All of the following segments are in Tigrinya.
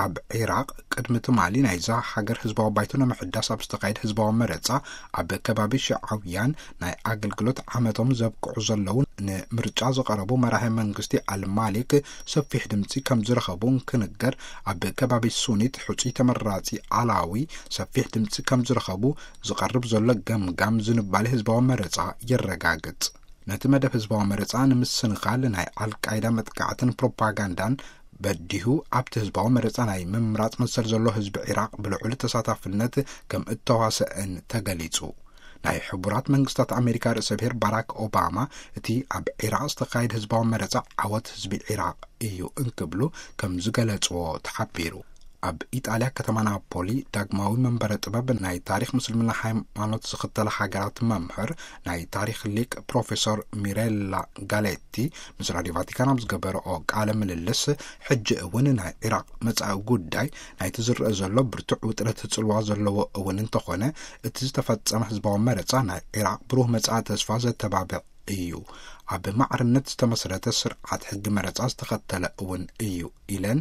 ኣብ ዒራቕ ቅድሚ ትማሊ ናይዛ ሃገር ህዝባዊ ባይቶ ንምሕዳስ ኣብ ዝተኻየደ ህዝባዊ መረጻ፣ ኣብ ከባቢ ሽዓውያን ናይ ኣገልግሎት ዓመቶም ዘብቅዑ ዘለዉ፣ ንምርጫ ዝቐረቡ መራሒ መንግስቲ ኣልማሊክ ሰፊሕ ድምፂ ከም ዝረኸቡ እንክንገር፣ ኣብ ከባቢ ሱኒት ሕፁይ ተመራፂ ኣላዊ ሰፊሕ ድምፂ ከም ዝረኸቡ ዝቐርብ ዘሎ ገምጋም ዝንባሌ ህዝባዊ መረጻ የረጋግጽ። ነቲ መደብ ህዝባዊ መረጻ ንምስንኻል ናይ ኣልቃይዳ መጥቃዕትን ፕሮፓጋንዳን በዲሁ፣ ኣብቲ ህዝባዊ መረጻ ናይ ምምራጽ መሰል ዘሎ ህዝቢ ዒራቕ ብልዑል ተሳታፍነት ከም እተዋሰእን ተገሊጹ። ናይ ሕቡራት መንግስታት ኣሜሪካ ርእሰ ብሔር ባራክ ኦባማ፣ እቲ ኣብ ዒራቕ ዝተኻየደ ህዝባዊ መረጻ ዓወት ህዝቢ ዒራቕ እዩ እንክብሉ ከም ዝገለጽዎ ተሓቢሩ። ኣብ ኢጣልያ ከተማ ናፖሊ ዳግማዊ መንበረ ጥበብ ናይ ታሪኽ ምስልምና ሃይማኖት ዝኽተላ ሃገራት መምህር ናይ ታሪኽ ሊቅ ፕሮፌሰር ሚሬላ ጋሌቲ ምስ ራድዮ ቫቲካን ኣብ ዝገበረኦ ቃለ ምልልስ፣ ሕጂ እውን ናይ ዒራቕ መጻኢ ጉዳይ ናይቲ ዝረአ ዘሎ ብርቱዕ ውጥረት ጽልዋ ዘለዎ እውን እንተኾነ፣ እቲ ዝተፈጸመ ህዝባዊ መረጻ ናይ ዒራቕ ብሩህ መጻኢ ተስፋ ዘተባብዕ እዩ። ኣብ ማዕርነት ዝተመስረተ ስርዓት ሕጊ መረጻ ዝተኸተለ እውን እዩ ኢለን፣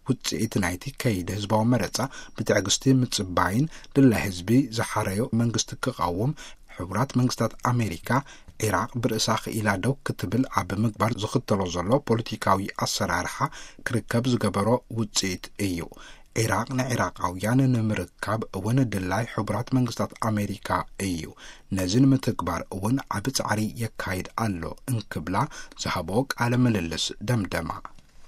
ውጽኢት ናይቲ ከይዲ ህዝባዊ መረጻ ብትዕግስቲ ምጽባይን ድላይ ህዝቢ ዝሓረዮ መንግስቲ ክቐውም፣ ሕቡራት መንግስታት ኣሜሪካ ዒራቕ ብርእሳ ክኢላ ደው ክትብል ኣብ ምግባር ዝኽተሎ ዘሎ ፖለቲካዊ ኣሰራርሓ ክርከብ ዝገበሮ ውጽኢት እዩ። ዒራቕ ንዒራቓውያን ንምርካብ እውን ድላይ ሕቡራት መንግስታት ኣሜሪካ እዩ። ነዚ ንምትግባር እውን ዓቢ ጻዕሪ የካይድ ኣሎ እንክብላ ዝሃቦ ቃለ ምልልስ ደምደማ።